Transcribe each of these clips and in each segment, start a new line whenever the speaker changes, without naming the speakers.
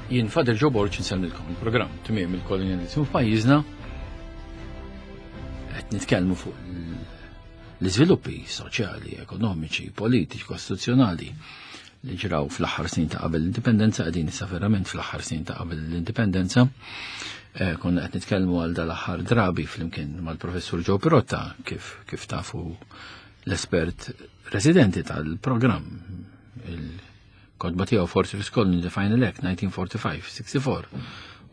Jien Father Joe Borg insellmilkom il-programm tmiem il-kolonjalizmu f'pajjiżna qed nitkellmu fuq l-iżviluppi soċjali, ekonomiċi, politiċi, kostituzzjonali li ġraw fl-aħħar snin ta' qabel l-indipendenza, qegħdin issa verament fl-aħħar snin ta' qabel l-indipendenza. Eh, konna qed nitkellmu għal dal-aħħar drabi flimkien mal-professur Joe Pirotta kif kif tafu l-espert residenti tal-programm Kotba tiegħu Force of Colony, The Final Act, 1945-64,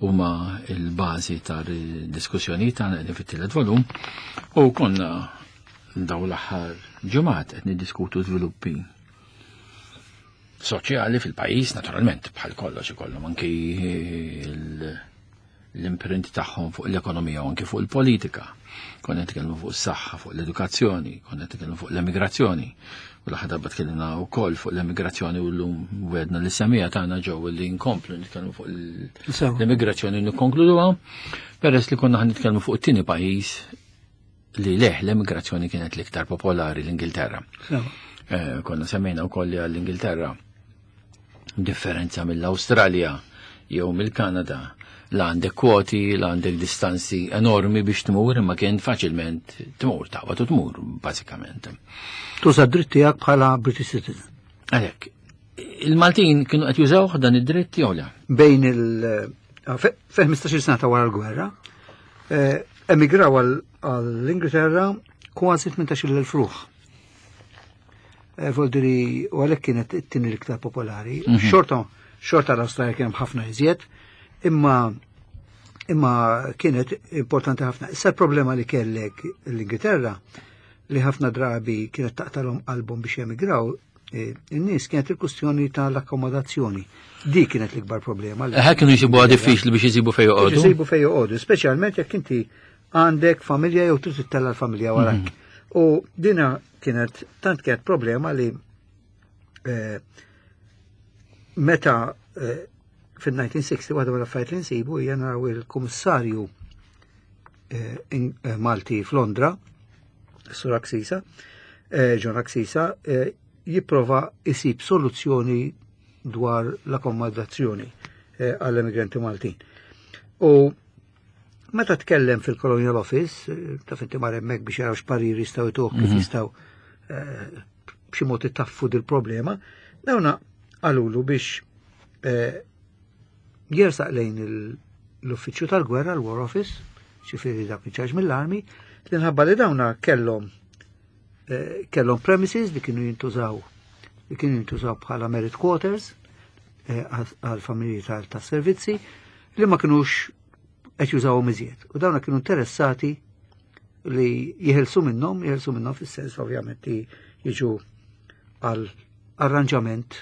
huma il-bażi tal-diskussjoni tagħna qegħdin fit-tielet volum u konna daw l-aħħar ġimgħat qed niddiskutu żviluppi soċjali fil-pajjiż naturalment bħal kollox ikollhom anki l-imprint tagħhom fuq l-ekonomija u anki fuq il-politika. Konna nitkellmu fuq is-saħħa, fuq l-edukazzjoni, konna nitkellmu fuq l-emigrazzjoni. U l-aħħar darba tkellimna wkoll fuq l-emigrazzjoni u llum wedna li semija tagħna ġew li nkomplu nitkellmu fuq l-emigrazzjoni u nikkonkluduha. Peress li konna nitkellmu fuq it-tieni pajjiż li leħ l-emigrazzjoni kienet l-iktar popolari l-Ingilterra. Eh, konna semmejna wkoll li għall-Ingilterra differenza mill-Awstralja jew mill-Kanada la għandek kwoti, la għandek distanzi enormi biex tmur, imma kien faċilment tmur, taqbad u tmur, bażikament.
Tuża dritt tiegħek bħala British citizen.
Għalhekk, il-Maltin kienu qed jużawh dan id-dritt jew le?
Bejn il- fe 15 sena ta' wara l-gwerra, eh, emigraw għall-Ingilterra kważi 18,000 ruħ. Eh, Voldiri, u għalhekk kienet it-tieni l-iktar popolari. Mhm. Xorta, xorta l-Awstralja kien ħafna iżjed, imma imma kienet importanti ħafna. Issa l-problema li kellek l-Ingilterra li ħafna drabi kienet taqtalhom qalbhom biex jemigraw, eh, in-nies kienet il-kustjoni tal-akkomodazzjoni. Di kienet l-ikbar problema.
Eh, kienu jisibu diffiċli biex jisibu fejn joqogħdu.
Jisibu fejn joqogħdu, speċjalment jekk inti għandek familja jew trid ittella l-familja warak. Mhm. U dina kienet tant kienet problema li eh, meta eh, fil-1960 waħda mill-affarijiet li nsibu hija naraw il-kummissarju eh, Malti f'Londra, Sur Aksisa, John Aksisa, jipprova isib soluzzjoni dwar l-akkomodazzjoni għall-emigranti Maltin. U Meta tkellem fil-Colonial Office, eh, taf inti mar hemmhekk biex jaraw x'parir jistgħu jtuh kif mhm. jistgħu eh, b'xi mod itaffu dil-problema, dawna qalulu biex eh, jersaq lejn l-uffiċċju tal-gwerra, l-War Office, ċifieri dak ċaġ mill-armi, li nħabba li dawna kellhom kellhom premises li kienu jintużaw li kienu jintużaw bħala merit quarters għal familji tal-servizzi li ma kinux qed jużawhom iżjed. U dawna kienu interessati li jeħilsu minnhom, jeħilsu minnhom fis-sens ovvjament li jiġu għal arranġament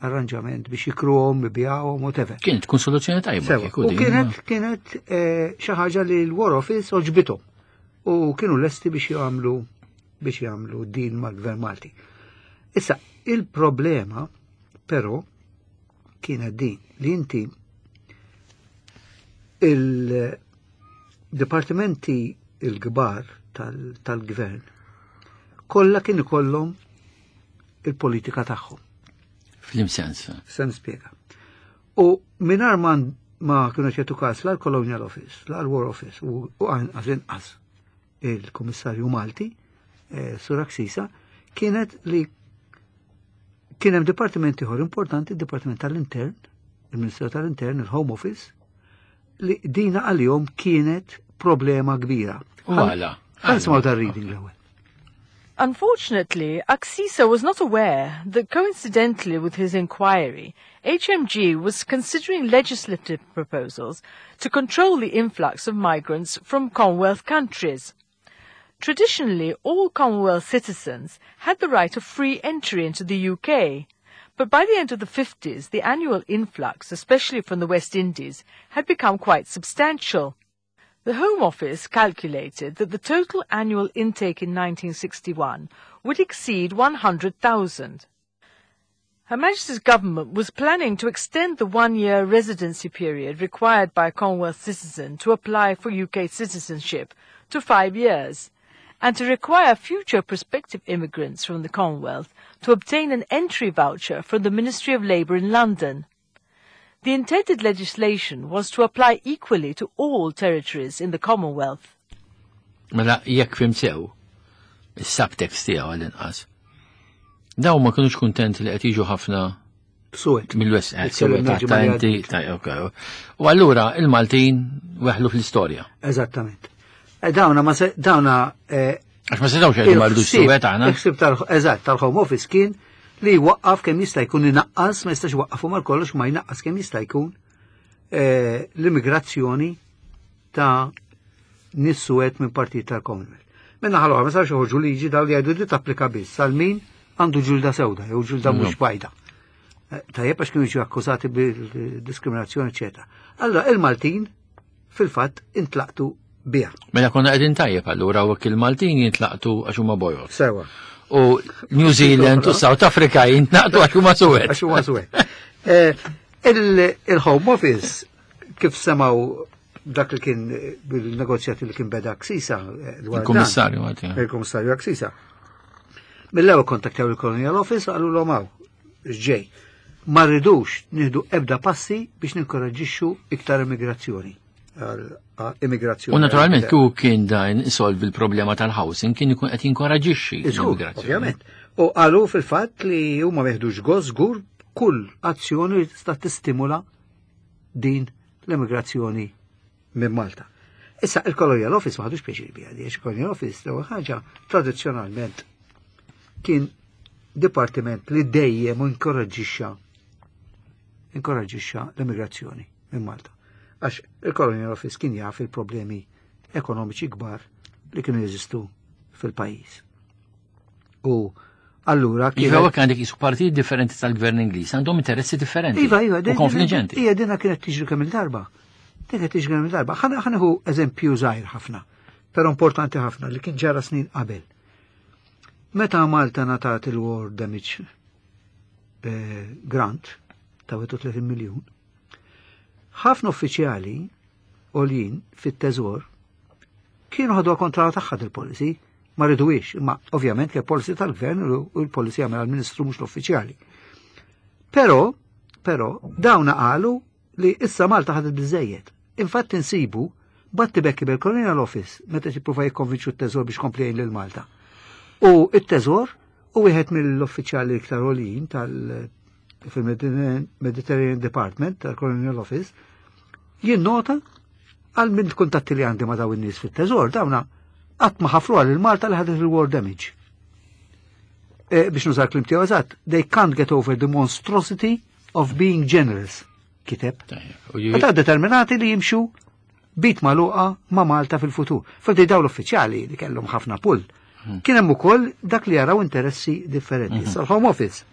arranġament biex jikruhom, ibijawhom, whatever.
Kienet tkun soluzzjoni tajba.
U kienet kienet eh, xi ħaġa li l-War Office oġbithom u kienu lesti biex jagħmlu biex jagħmlu din mal-Gvern Malti. Issa, il-problema però kienet din li inti il-dipartimenti il-kbar tal-gvern kollha kien ikollhom il-politika tagħhom.
Flim sens.
Se nispjega. U mingħajr ma ma kienu ċertu każ la l-Colonial Office, la l-War Office u anqas inqas il-Kummissarju Malti, eh, Sur Aksisa, kienet li kien hemm dipartiment ieħor importanti, il-Dipartiment tal-Intern, il-Ministeru tal-Intern, il-Home Office, li dina għalihom kienet problema kbira.
U għala.
Ħa nisimgħu dar-reading l-ewwel.
Unfortunately, Axisa was not aware that coincidentally with his inquiry, HMG was considering legislative proposals to control the influx of migrants from Commonwealth countries. Traditionally, all Commonwealth citizens had the right of free entry into the UK, but by the end of the 50s, the annual influx, especially from the West Indies, had become quite substantial. The Home Office calculated that the total annual intake in 1961 would exceed 100,000. Her Majesty's government was planning to extend the one-year residency period required by a Commonwealth citizen to apply for UK citizenship to 5 years and to require future prospective immigrants from the Commonwealth to obtain an entry voucher from the Ministry of Labour in London. The intended legislation was to apply equally to all territories in the Commonwealth.
Mela jekk fhimt sew, is-subtext tiegħu għall-inqas. Dawn ma kinux kuntenti li qed jiġu ħafna
Suwed.
Mill-West Suwed ta' inti, ta' ok. U allura il-Maltin weħlu fl-istorja.
Eżattament. Eh, dawna ma se, dawna eh,
Għax ma setgħux jgħidu ma rridux suwed aħna.
Il-ħsieb tal eżatt tal-Home Office kien li jwaqqaf kemm jista' jkun inaqqas, ma jistax waqqafu mal kollox ma jnaqqas kemm jista' jkun eh, l-immigrazzjoni ta' nies suwed minn partit tal-Commonwealth. Minna ħalwa, ma sarx joħorġu liġi daw li jgħidu li tapplika biss għal min għandu ġilda sewda jew ġilda mhux bajda. Eh, tajjeb għax kienu jiġu akkużati bil-diskriminazzjoni, eċetera. Allora il-Maltin fil-fatt intlaqtu biha.
Mela konna qegħdin tajjeb allura u il-Maltin jintlaqtu għax huma bojod.
Sewa.
U New Zealand u South Africa jintlaqtu għax huma suwed.
Għax huma suwed. Eh, il-Home Office kif semaw dak li kien bil-negozjati li kien beda Aksisa. Eh,
Il-Kummissarju
Il-Kummissarju Aksisa. Mill-ewwel kontaktjaw il-Colonial Office qalu l hawn ġej. Ma rridux nieħdu ebda passi biex ninkoraġġixxu iktar immigrazzjoni. Immigrazzjoni.
U naturalment kieku kien dan isolvi l-problema tal-housing kien ikun qed jinkoraġixxi
l-immigrazzjoni. Ovvjament. U qalu fil-fatt li huma meħdux gost żgur kull azzjoni li tista' tistimula din l-immigrazzjoni minn Malta. Issa il-Colonial Office ma ħadux pjaċir biha di, il-Colonial Office l-ewwel ħaġa tradizzjonalment kien dipartiment li dejjem inkoraġġixxa inkoraġġixxa l-immigrazzjoni minn Malta. Għax il-Colonial Office kien jaf il-problemi ekonomiċi kbar li kienu jeżistu fil-pajjiż. U allura
kien. Iva, għandek jisu partijiet differenti tal-gvern Ingliż, għandhom interessi differenti.
Iva, iva,
u konfliġenti.
Ija, dina kienet tiġri kemm il-darba. Din kienet tiġri kemm il-darba. Ħanieħu eżempju żgħir ħafna, però importanti ħafna li kien ġara snin qabel. Meta Malta ngħatat il-War Damage eh, Grant ta' 31 miljun, ħafna uffiċjali għoljin fit-teżor kienu ħadu kontra tagħha il-policy ma riduwiex, imma ovvjament ke policy tal-gvern u l-policy għamel għal-ministru mhux l-uffiċjali. Però, però, dawna qalu li issa Malta ħadet biżejjed. Infatti nsibu batti bekki bil-Colonial Office meta jippruva jikkonvinċu t-teżor biex kompli lil Malta. U t-teżor u wieħed mill-uffiċjali iktar għoljin tal- fil-Mediterranean Department tal-Colonial Office jinnota għal minn kuntatti li għandi ma daw in-nies fit-teżor dawna qatt ma ħafru għal il-Malta li ħadet il-war damage. E, biex nużar klim tiegħu eżatt, they can't get over the monstrosity of being generous, kiteb. Meta determinati li jimxu bit maluqa ma' Malta fil-futur. Fil daw l-uffiċjali li kellhom ħafna pull. Hmm. Kien hemm ukoll dak li jaraw interessi differenti. Hmm. Sal-Home Office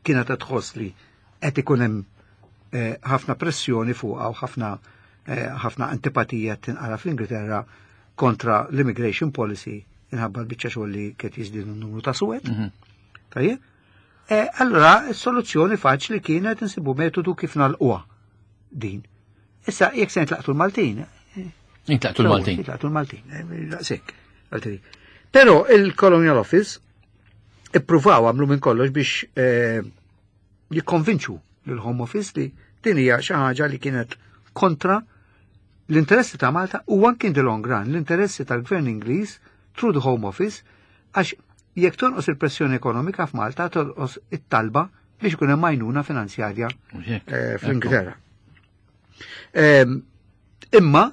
kienet qed tħoss li qed ikun hemm eh, ħafna pressjoni fuqha u ħafna eh, ħafna antipatija tinqara fl-Ingilterra kontra l-immigration policy inħabba l-biċċa xogħol li kiet jiżdiedu n-numru ta' suwed. Mhm. Tajjeb? Eh, allora, s-soluzzjoni faċli kienet insibu metodu kif nalquha din. Issa, jekk se nitlaqtu l-Maltin.
Nitlaqtu l-Maltin.
Nitlaqtu l-Maltin, daqshekk. Però il-Colonial Office ippruvaw għamlu minn kollox biex eh, jikkonvinċu l-Home Office li din hija xi ħaġa li kienet kontra l-interessi ta' Malta u anki in the long run l-interessi tal-Gvern Ingliż through the Home Office għax jekk tonqos il-pressjoni ekonomika f'Malta tonqos it-talba biex ikun hemm għajnuna finanzjarja eh, fl-Ingilterra. Ehm, imma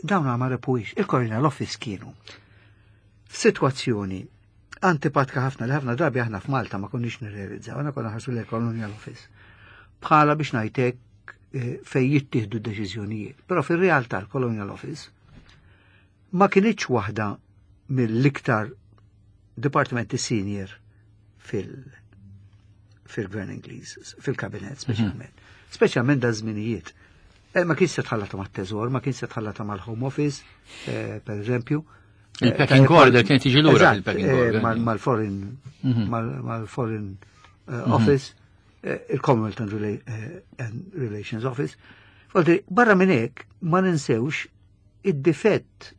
dawn ma repuix, il-Colonial Office kienu f'sitwazzjoni antipatka ħafna li ħafna drabi aħna f'Malta ma konniex nirrealizzaw, aħna konna ħarsu l-Colonial Office. Bħala biex ngħidlek eh, fej jittieħdu deċiżjonijiet. Però fir-realtà l-Colonial Office ma kinitx waħda mill-iktar dipartimenti senior fil- fil-gvern Ingliż, fil-kabinet speċjalment. Mm -hmm. Speċjalment da żminijiet. Eh, ma kienx se tħallata mat-teżor, ma kienx se tħallata mal-Home Office, eh, per eżempju.
Il-pecking order kien tiġi lura il-pecking order.
Mal-foreign mhm. mal-foreign eh, mhm. office, il-Commonwealth and Relations Office. Falti, barra minn hekk ma ninsewx id-difett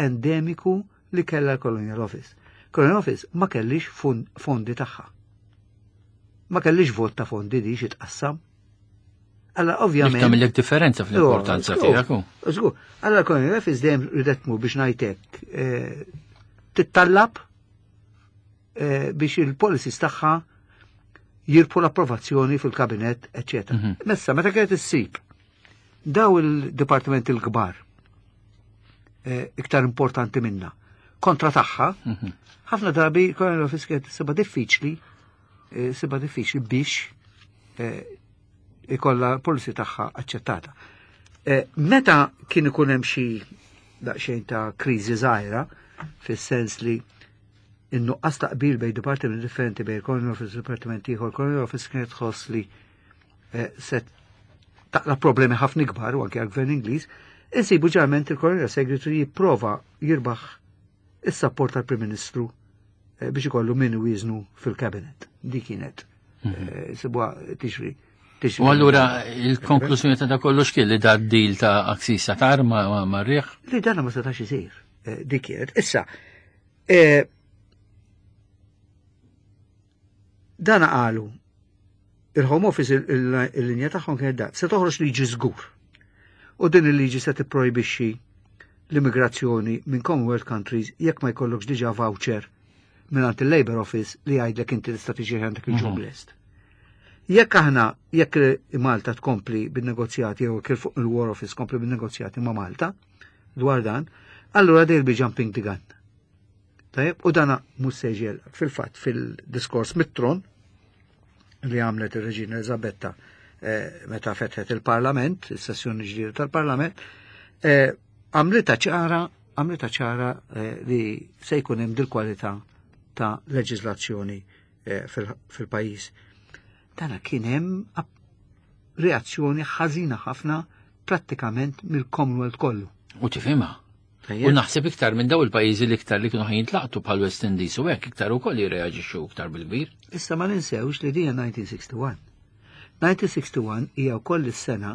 endemiku li kella l-Colonial Office. Colonial Office ma kellix fondi tagħha. Ma kellix vot ta' fondi di xi tqassam. Alla ovvjament.
Tagħmilek differenza fl-importanza tiegħek.
Żgur. Alla Colonial Office dejjem ridet tmur biex ngħidlek eh, tittallab eh, biex il-policies tagħha jirpu l-approvazzjoni fil-kabinet, eccetera. Mhm. Messa, meta kienet issib daw il-dipartiment il-kbar eh, iktar importanti minna kontra tagħha, mhm. ħafna drabi Colonial Office kienet sibha diffiċli, sibha diffiċli biex ikolla policy tagħha aċċettata. Eh, meta kien ikun hemm xi daqsxejn ta' kriżi żgħira, fis-sens li in-nuqqas ta' qbil bejn dipartimenti differenti bejn Colonial Office u dipartiment ieħor, Colonial Office kienet tħoss li eh, se taqla problemi ħafna ikbar u anke għall-gvern Ingliż, insibu ġeneralment il-Colonial Secretary jipprova jirbaħ is-sapport tal-Prim Ministru eh, biex ikollu min wieżnu fil-kabinet. Di kienet. Mhm. Eh, Sibwa tiġri.
U allura il-konklużjoni ta' kollu x'kien li da deal ta' Aksisa tar ma' rieħ?
Li dana ma setax isir. Eh, dik kienet. Issa, dana qalu il-Home Office il-linja tagħhom kienet dat, se toħroġ liġi żgur. U din il-liġi se tipprojbixxi l-immigrazzjoni minn Commonwealth countries jekk ma jkollokx diġà voucher minn il-Labor Office li jgħidlek inti tista' tiġi għandek il-job mhm. list. Jekk aħna jekk Malta tkompli bin-negozjati jew kif fuq il-War Office tkompli bin-negozjati ma' Malta dwar dan, allura they'll be jumping the gun. Tajjeb, u dana mhux se fil-fatt fil-diskors mit-tron li għamlet ir-Reġina Elizabetta eh, meta fetħet il-Parlament, is-sessjoni ġdida tal-Parlament, eh, għamlita ċara għamlita ċara eh, li se jkun hemm dil-kwalità ta' leġiżlazzjoni fil-pajjiż. Dana kien hemm reazzjoni ħażina ħafna prattikament mill-Commonwealth kollu.
U tifhimha. U naħseb iktar minn daw il-pajjiżi li iktar li kienu ħajin tlaqtu bħal West Indies u hekk iktar ukoll jirreaġixxu iktar bil-kbir.
Issa ma ninsewx li dija 1961. 1961 hija wkoll is-sena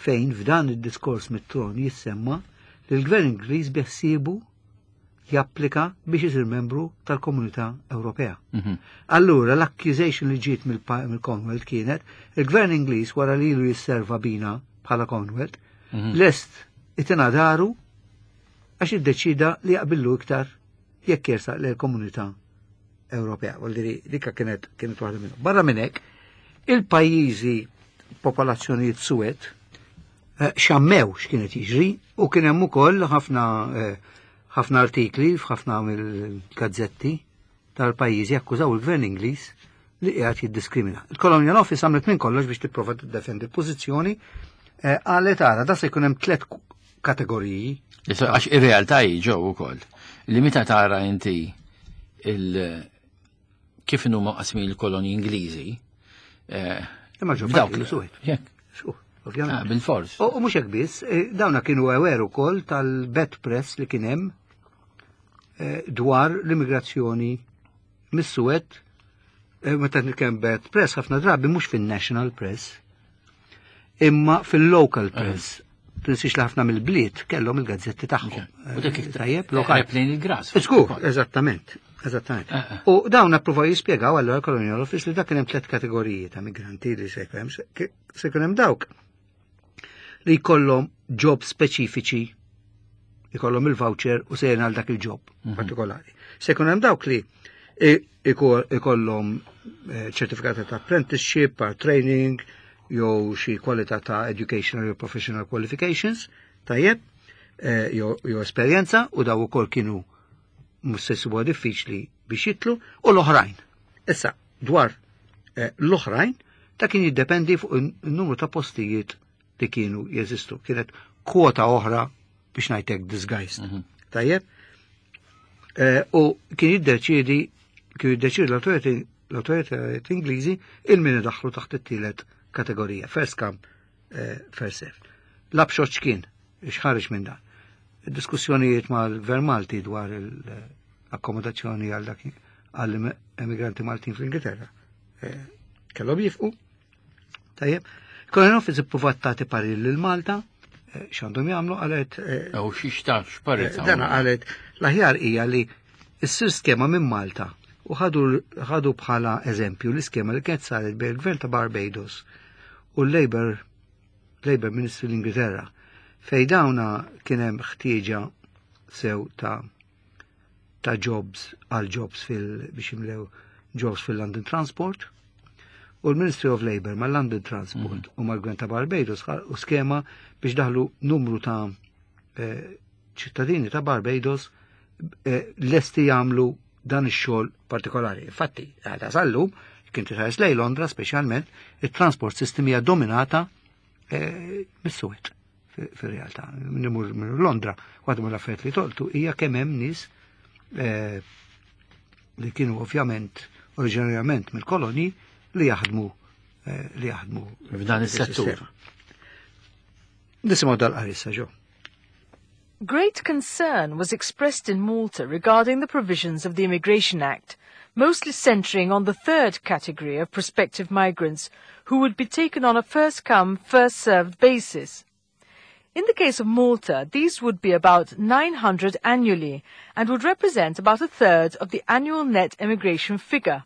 fejn f'dan id-diskors mit-tron jissemma li l-Gvern Ingliż beħsiebu japplika biex isir membru tal-Komunità Ewropea. Mhm. Allura l-accusation li ġiet mill-Commonwealth kienet il-Gvern Ingliż wara li ilu jisserva bina bħala Commonwealth, mhm. lest itina daru għax iddeċida li jaqbillu iktar jekk jersaq lejn komunità Ewropea. Vuol dikka kienet kienet waħda minnhom. Barra minn hekk, il-pajjiżi popolazzjonijiet suwed eh, xammew x'kienet jiġri u kien hemm ukoll ħafna eh, ħafna artikli f'ħafna mill-gazzetti tal-pajjiżi akkużaw il-gvern Ingliż li qiegħed jiddiskrimina. Il-Colonial Office għamlet minn kollox biex tipprova tiddefendi l-pożizzjoni eh, qalet ara da se jkun hemm tliet kategoriji.
Għax ir-realtà hi ġew ukoll li meta tara inti il kif inhuma qasmin il-kolonji Ingliżi.
Eh, Imma ġew dawk li suwed.
Ovvjament. Ah, bil-fors.
U mhux hekk biss, eh, dawna kienu aware ukoll tal-bad press li kien hemm dwar l-immigrazzjoni mis-Suwed, eh, meta nitkellem bad press ħafna drabi mhux fin-national press, imma fil-local eh. press. Tinsiex li ħafna mill-bliet kellhom il-gazzetti tagħhom.
U dik eh, tajjeb lokali. Plejn il-gras.
Żgur, eżattament. Eżattament. U dawn appruvaw jispjegaw allura Colonial Office li dak kien hemm tliet kategoriji ta' migranti li se jkun hemm dawk li jkollhom job speċifiċi jkollhom il-voucher u sejrin għal dak il-job mhm. partikolari. Se jkun hemm dawk li ikollhom eh, ċertifikati ta' apprenticeship, or training, jew xi kwalità ta' educational jew professional qualifications, tajjeb, eh, jew esperjenza u daw ukoll kienu mhux se jsibuha diffiċli biex jitlu, u l-oħrajn. Issa, dwar eh, l-oħrajn, ta' kien jiddependi fuq il-numru ta' postijiet li kienu jeżistu. Kienet kwota oħra biex ngħidlek disguised. Mhm. Tajjeb? Eh, u kien jiddeċiedi kien jiddeċiedi l-autoritajiet Ingliżi il-min idaħħlu taħt it-tielet kategorija, first come, eh, first serve. L-abxoċ kien, xħarġ minn dan. Diskussjonijiet mal-Gvern Malti dwar l-akkomodazzjoni għal dak għall-emigranti Maltin fl-Ingilterra. Eh, kellhom jifqu. Tajjeb. Colonial Office ippruvat tagħti parir lil Malta eh, x'għandhom jagħmlu qalet.
Eh, U xi x'parir.
Dana qalet l-aħjar hija li issir skema minn Malta u ħadu bħala eżempju l-iskema li kienet saret bejn il-Gvern ta' Barbados. u l-Labour Labour Ministry l-Ingilterra fej dawna kien hemm ħtieġa sew ta' ta' jobs għal jobs fil biex jimlew jobs fil-London Transport u l-Ministry of Labour ma' London Transport mm -hmm. u mal-Gvern ta' Barbados u skema biex daħlu numru ta' eh, ċittadini ta' Barbados eh, lesti jagħmlu dan ix-xogħol partikolari. Infatti, għadha sallum, kien titħares lej Londra speċjalment, it-transport system hija dominata eh, mis-suwed fir-realtà. Nimur minn Londra, waħda mill-affarijiet li toltu hija kemm hemm nies eh, li kienu ovvjament oriġinarjament mill-koloni li jaħdmu eh, li jaħdmu
f'dan is-settur.
Nisimgħu dal-qarissa ġo.
Great concern was expressed in Malta regarding the provisions of the Immigration Act, mostly centering on the third category of prospective migrants who would be taken on a first-come, first-served basis. In the case of Malta, these would be about 900 annually and would represent about a third of the annual net emigration figure.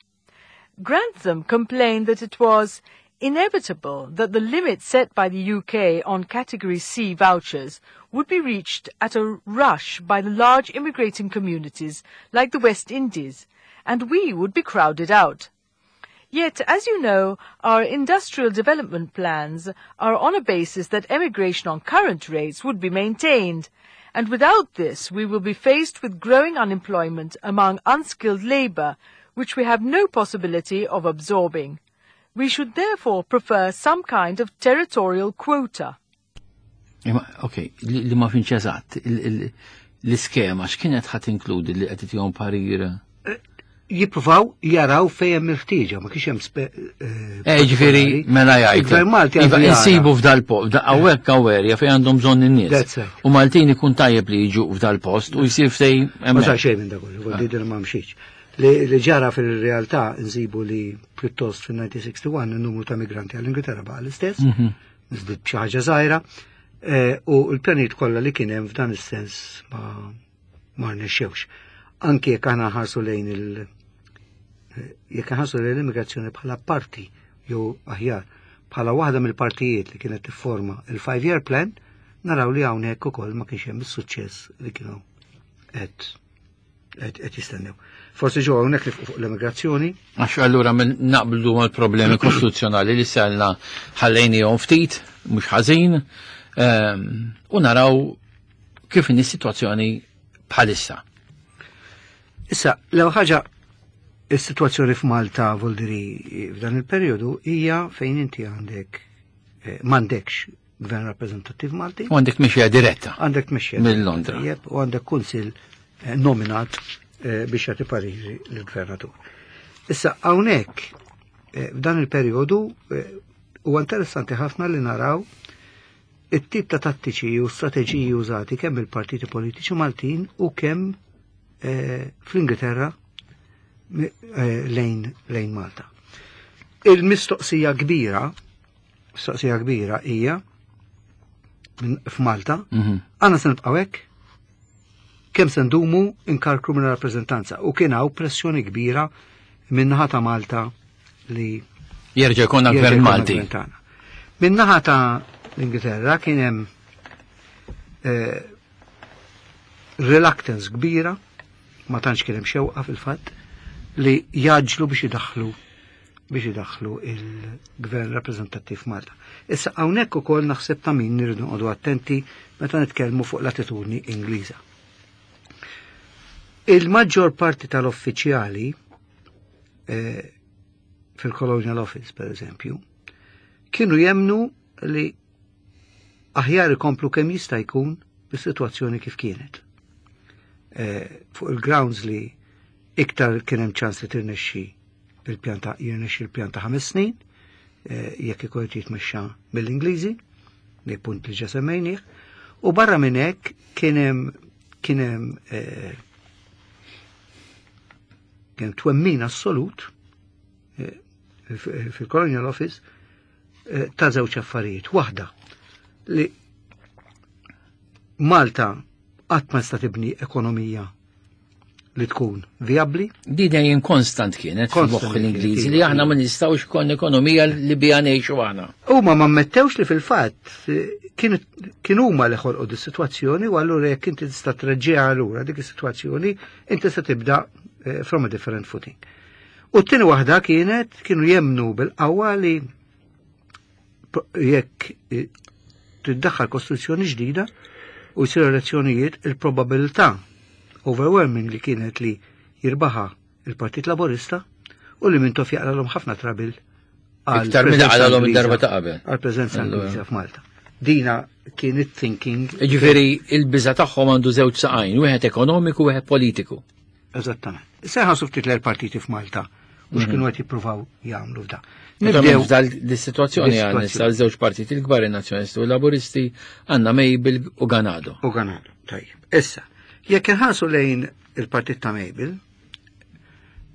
Grantham complained that it was inevitable that the limit set by the UK on Category C vouchers would be reached at a rush by the large immigrating communities like the West Indies, and we would be crowded out. Yet, as you know, our industrial development plans are on a basis that emigration on current rates would be maintained, and without this we will be faced with growing unemployment among unskilled labour, which we have no possibility of absorbing. We should therefore prefer some kind of territorial quota.
Ok, li ma finx eżatt, l-iskema x'kienet ħat inkludi li qed tihom parir?
Eh, jippruvaw jaraw fejn hemm il-ħtieġa, ma kienx hemm
eh, eh, ġifieri mela jgħid. Il-Gvern Malti iva, insibu f'dal post, hawnhekk hawn fejn għandhom bżonn in-nies. U Maltin ikun tajjeb li jiġu f'dal post u jsir ftej
Ma sar xejn minn dak kollu, ma mxiex. Li ġara fil-realtà nsibu li pjuttost fil-1961 il-numru ta' migranti għall-Ingilterra baqa' l-istess, mhm. żdied b'xi ħaġa żgħira, eh, u l-pjanijiet kollha li kien hemm f'dan is-sens ma ma rnexxewx. Anki jekk aħna ħarsu lejn il- eh, jekk ħarsu lejn l-immigrazzjoni bħala parti jew aħjar bħala waħda mill-partijiet li kienet tifforma il-five year plan, naraw li hawnhekk ukoll ma kienx hemm is-suċċess li kienu qed qed jistennew. Forsi ġew hawnhekk li fuq l-immigrazzjoni.
Għax allura minn naqblu mal-problemi kostituzzjonali li sellna ħallejnihom ftit, mhux ħażin, ehm, u naraw kif inhi s-sitwazzjoni bħalissa.
Issa, l ħaġa is-sitwazzjoni f'Malta voldiri f'dan il-perjodu hija fejn inti għandek eh, m'għandekx gvern rappreżentattiv Malti.
U għandek mixja diretta.
Għandek mixja.
Minn Londra.
Jep, u għandek kunsil eh, nominat eh, biex jagħti pariri lill-gvernatur. Issa hawnhekk eh, f'dan il-perjodu huwa interessanti ħafna li naraw it-tip ta' tattiċi u strateġiji użati kemm il-partiti politiċi Maltin u kemm fl-Ingilterra lejn, lejn Malta. Il-mistoqsija kbira Mistoqsija kbira hija f'Malta, mhm. għandna se nibqgħu hekk kemm se ndumu inkarkru minn rappreżentanza u kien hawn pressjoni kbira min-naħa ta' Malta li
jerġa' jkollna gvern Malti.
Min-naħa ta' l-Ingilterra kien hemm eh, reluctance kbira ma tantx kien hemm xewqa fil-fatt li jaġlu biex idaħħlu biex idaħħlu il-gvern rappreżentattiv Malta. Issa hawnhekk ukoll naħseb ta' min nirridu noqogħdu attenti meta nitkellmu fuq l-attitudni Ingliża. Il-maġġor parti tal-uffiċjali eh, fil-Colonial Office, per eżempju, kienu jemnu li aħjar ikomplu kemm jista' jkun bis-sitwazzjoni kif kienet. Eh, fuq il-grounds li iktar kien hemm ċans li tirnexxi il-pjan ta' jirnexxi l-pjan ta' ħames snin, eh, jekk ikun qed jitmexxa mill-Ingliżi, li punt li ġa semmejnih, u barra minn hekk kien hemm kien hemm eh, kien twemmin assolut eh, fil-Colonial Office ta' żewġ affarijiet. Waħda li Malta qatt ma tista' tibni ekonomija li tkun viabli.
Di dejjem konstant kienet f'moħħ l-Ingliżi li aħna ma nistgħux kon ekonomija li biha ngħixu aħna.
Huma ma ammettewx li fil-fatt kien huma li ħolqu di sitwazzjoni u allura jekk inti tista' treġġiha lura dik is-sitwazzjoni inti se tibda eh, from a different footing. U t-tieni waħda kienet kienu jemnu bil-qawwa li jekk eh, tiddaħħal kostruzzjoni ġdida u jsiru elezzjonijiet il-probabilità overwhelming li kienet li jirbaħa il-Partit Laburista u li Mintoff jaqralhom ħafna trabil
Iktar minn għalalhom id-darba ta' qabel.
Għal-preżenza Ingliża f'Malta. Dina kien it-thinking.
Ġifieri il-biża tagħhom għandu żewġ saqajn, wieħed ekonomiku u wieħed politiku.
Eżattament. Seħa ftit l-partiti f'Malta u x'kienu mhm. qed jippruvaw jagħmlu f'da.
Nibdew f'dal dis-sitwazzjoni għandna issa żewġ partiti l-kbar in-Nazzjonalisti u l-Laburisti għandna Mabel u Ganado.
U Ganado, tajjeb. Issa, jekk inħarsu lejn il-partit ta' Mabel,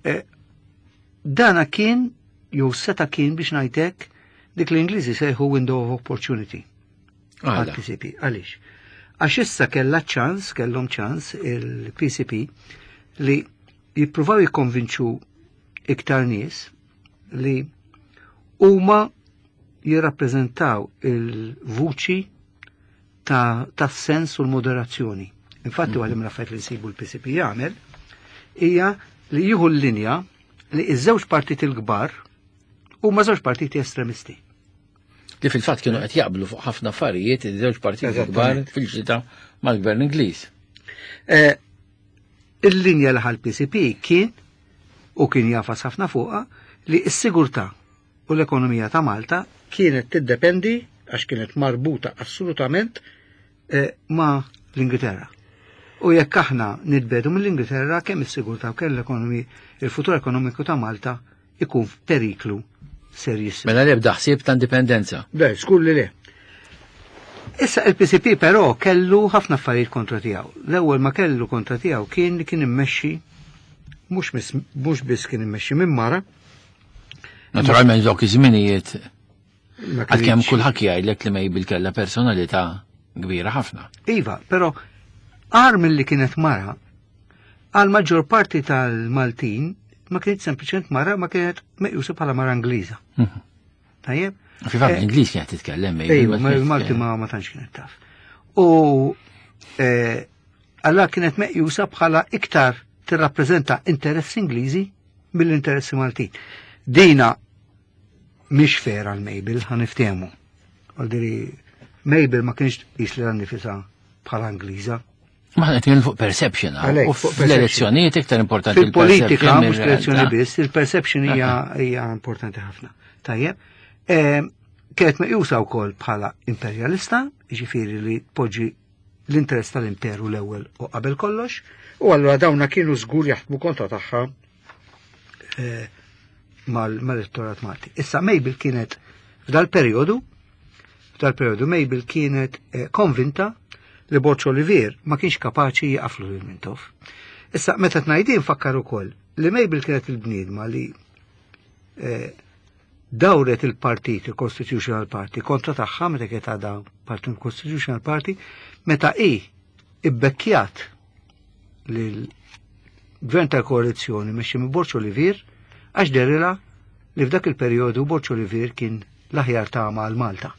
eh, dana kien jew seta kien biex ngħidlek dik l-Ingliżi sejħu window of opportunity. Għal-PCP. Għaliex? Għax issa kellha ċans, kellhom ċans il-PCP li jippruvaw jikkonvinċu iktar nies li huma jirrappreżentaw il-vuċi ta', ta sens u l-moderazzjoni. Infatti mm. għalim raffajt li nsibu l-PCP jagħmel hija li jieħu l-linja li iż-żewġ partiti l-kbar huma żewġ partiti estremisti.
Li fil-fatt kienu qed jaqblu fuq ħafna affarijiet iż-żewġ partiti kbar fil-ġita mal-gvern Ingliż.
Eh, il-linja li ħal PCP kien u kien jafas ħafna fuqha li s-sigurtà u l-ekonomija ta' Malta kienet tiddependi għax kienet marbuta assolutament eh, ma' l-Ingilterra. U jekk aħna nitbedu mill-Ingilterra kemm is-sigurtà u kemm l-ekonomi il-futur ekonomiku ta' Malta ikun f'periklu serjissimu.
Mela l-ebda ħsieb ta' indipendenza.
Le, skur li le. Issa il-PCP però kellu ħafna affarijiet kontra tiegħu. L-ewwel ma kellu kontra tiegħu kien li kien immexxi mhux biss kien immexxi minn mara.
Naturalment dawk iż-żminijiet għalkemm kulħadd jgħidlek li Mabel kellha personalità kbira ħafna.
Iva, però għar milli kienet mara, għal maġġor parti tal-Maltin ma kienet sempliċement mara, ma kienet meqjusa bħala mara Ingliża. Mhm.
Tajjeb? Fi fatt eh, l-Ingliż kienet titkellem.
Ejwa, ma l-Malti ma ma tantx kienet taf. U eh, alla kienet meqjusa bħala iktar tirrappreżenta interessi Ingliżi mill-interessi Maltin. Dina mhix fair għal Mabel, ħa niftehmu. Għaldiri, Mabel ma kienx tqis li nifisha bħala Ingliża.
Ma qed nitkellmu fuq perception, u fl-elezzjonijiet iktar importanti.
Fil-politika mhux l-elezzjoni biss, il-perception hija hija importanti ħafna. Tajjeb. Ehm, kienet meqjusa wkoll bħala imperjalista, jiġifieri li tpoġġi l-interess tal-imperu l-ewwel u qabel kollox, u allura dawna kienu żgur jaħdmu kontra tagħha eh, mal-elettorat Malti. Issa Mabel kienet f'dal-perjodu F'dal-perjodu Mabel kienet eh, konvinta li Borg Olivier ma kienx kapaċi jaqaflu lil Mintoff. Issa meta tnajdin fakkar ukoll li Mabel kienet il-bniedma li eh, dawret il-partit, il-Constitutional Party, kontra tagħha meta kienet għadha parti Constitutional Party, meta i ibbekkjat lil gvern tal-koalizzjoni mexxi minn Borg Olivier għax derila li f'dak il-perjodu Borg Olivier kien l-aħjar tama għal Malta.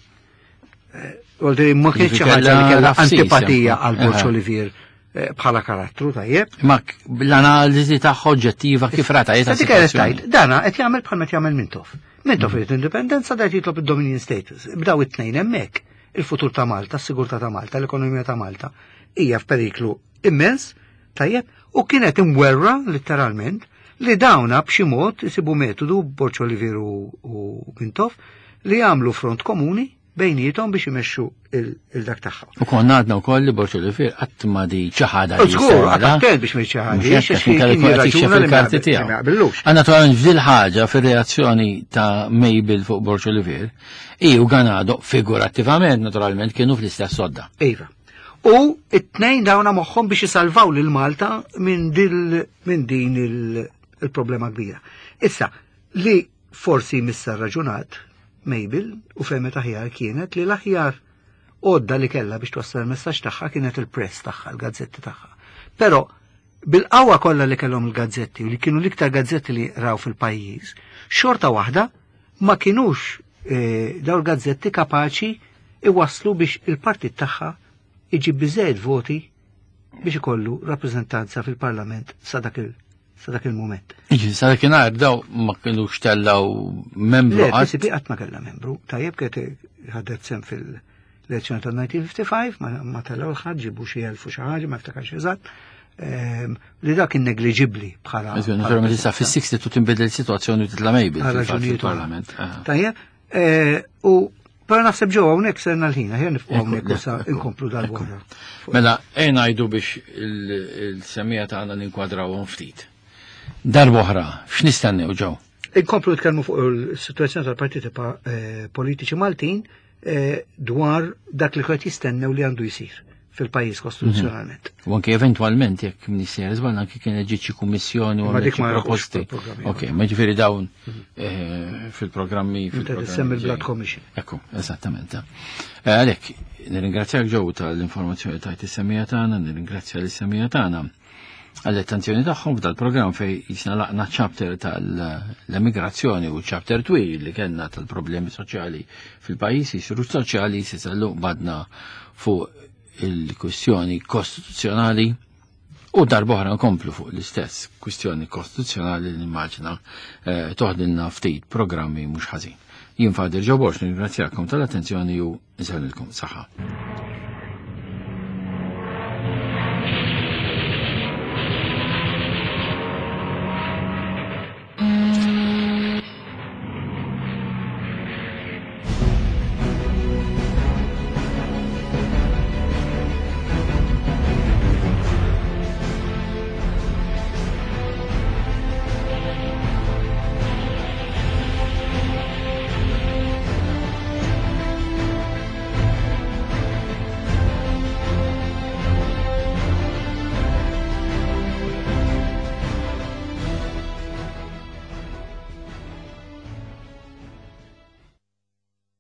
Eh, Għoldri, ma kienx xi ħaġa li kellha antipatija għal Borg Olivier eh, bħala karattru tajjeb.
Ma l-analiżi tagħha oġġettiva kif rata
jeta. Dik qed tgħid, dana qed jagħmel bħal qed jagħmel Mintoff. Mintoff irid indipendenza da jitlob id-dominion status. Bdaw it-tnejn hemmhekk il-futur ta' Malta, s-sigurtà ta' Malta, l-ekonomija ta' Malta hija f'periklu immens, tajjeb, u kienet imwerra letteralment li dawna b'xi mod isibu metodu Borg Olivier u Mintoff li jagħmlu front komuni bejnietom biex imexxu il-dak tagħha.
U konna għadna wkoll li Borg Olivier qatt ma di ċaħada.
Żgur, attent biex ma
ċaħadi. il-karti tiegħu. Naturalment f'dil ħaġa fir-reazzjoni ta' Mabel fuq Borg Olivier, i u Ganado figurattivament naturalment kienu fl-istess sodda.
Iva. U it-tnejn dawna moħħhom biex isalvaw lil Malta minn din il-problema kbira. Issa, li forsi missa raġunat Mabel u fehmet aħjar kienet li l-aħjar għodda li kella biex twassal il-messaġġ tagħha kienet il-press tagħha, il-gazzetti tagħha. Però Bil-qawwa kollha li kellhom il-gazzetti u li kienu l-iktar gazzetti li raw fil-pajjiż, xorta waħda ma kinux eh, daw il-gazzetti kapaċi iwasslu biex il-partit tagħha iġib biżejjed voti biex ikollu rappreżentanza fil-Parlament sa dak il sa dak il-moment.
Iġi, sa dakinhar daw ma kienux tellaw membru.
Le, PCP qatt ma kellha membru. Tajjeb kienet ħadet sem fil-elezzjoni tal-1955, ma tellaw l-ħadd ġibu xi elfu xi ħaġa, ma ftakarx eżatt. Ehm, li dak kien negliġibbli bħala.
Naturalment issa fis-60 tu tinbidel is-sitwazzjoni u titla' mejbil fil-Parlament.
Tajjeb, eh, u Pero naħseb ġew hawnhekk serna l-ħin, aħjar nifqu hawnhekk issa inkomplu dal-wara.
Mela, ejn ngħidu biex il-semija tagħna ninkwadrawhom ftit. Darb'oħra, x'nistennew ġew?
Inkomplu nitkellmu fuq il-sitwazzjoni tal-partiti eh, politiċi Maltin eh, dwar dak li qed jistennew li għandu jsir fil-pajjiż kostituzzjonalment.
Mhm. U anke eventwalment jekk minister żball anke kien ġiet xi kummissjoni u
dik ma
proposti. Ok, ma ġifieri dawn mhm. eh, fil-programmi
fil-programmi. il-Blood Commission.
Ekku, eżattament. Eh, għalhekk, nirringrazzjak ġew tal-informazzjoni tajt is-semija tagħna, nirringrazzja l-semija tagħna għall-attenzjoni tagħhom f'dal programm fej jisna laqna chapter tal-emigrazzjoni u chapter twil li kellna tal-problemi soċjali fil-pajjiż, jisiru soċjali sisallu badna fuq il-kwistjoni kostituzzjonali u darbohra nkomplu fuq l-istess kwistjoni kostituzzjonali li nimmaġina eh, toħdilna ftit programmi mhux ħażin. Jien Fadir Ġoborx nirringrazzjakom tal-attenzjoni u nsellilkom saħħa.